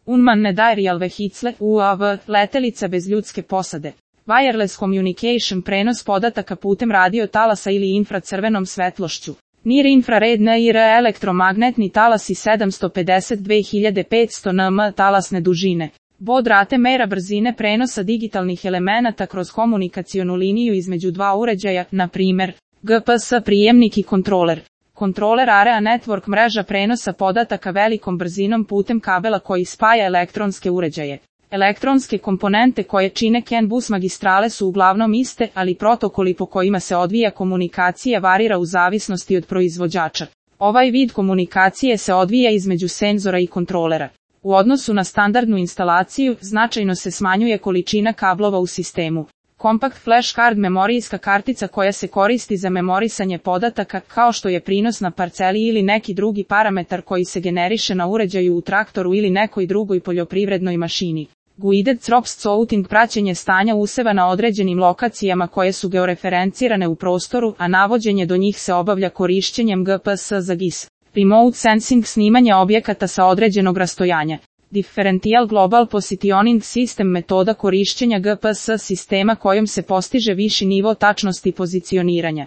Unmanned aerial vehicle, UAV, letelica bez ljudske posade. Wireless communication, prenos podataka putem radio talasa ili infracrvenom svetlošću. Near infrared NIR, elektromagnetni talasi 752.500 nm talasne dužine. Baud rate mera brzine prenosa digitalnih elemenata kroz komunikacionu liniju između dva uređaja, na primjer, GPS prijemnik i kontroler. Kontroler Area Network, mreža prenosa podataka velikom brzinom putem kabela koji spaja elektronske uređaje. Elektronske komponente koje čine CAN bus magistrale su uglavnom iste, ali protokoli po kojima se odvija komunikacija varira u zavisnosti od proizvođača. Ovaj vid komunikacije se odvija između senzora i kontrolera. U odnosu na standardnu instalaciju, značajno se smanjuje količina kablova u sistemu. Compact Flash Card, memorijska kartica koja se koristi za memorisanje podataka, kao što je prinos na parceli ili neki drugi parametar koji se generiše na uređaju u traktoru ili nekoj drugoj poljoprivrednoj mašini. Guided Crop Scouting, praćenje stanja useva na određenim lokacijama koje su georeferencirane u prostoru, a navođenje do njih se obavlja korišćenjem GPS za GIS. Remote Sensing, snimanje objekata sa određenog rastojanja. Differential Global Positioning System, metoda korišćenja GPS sistema kojom se postiže viši nivo tačnosti pozicioniranja.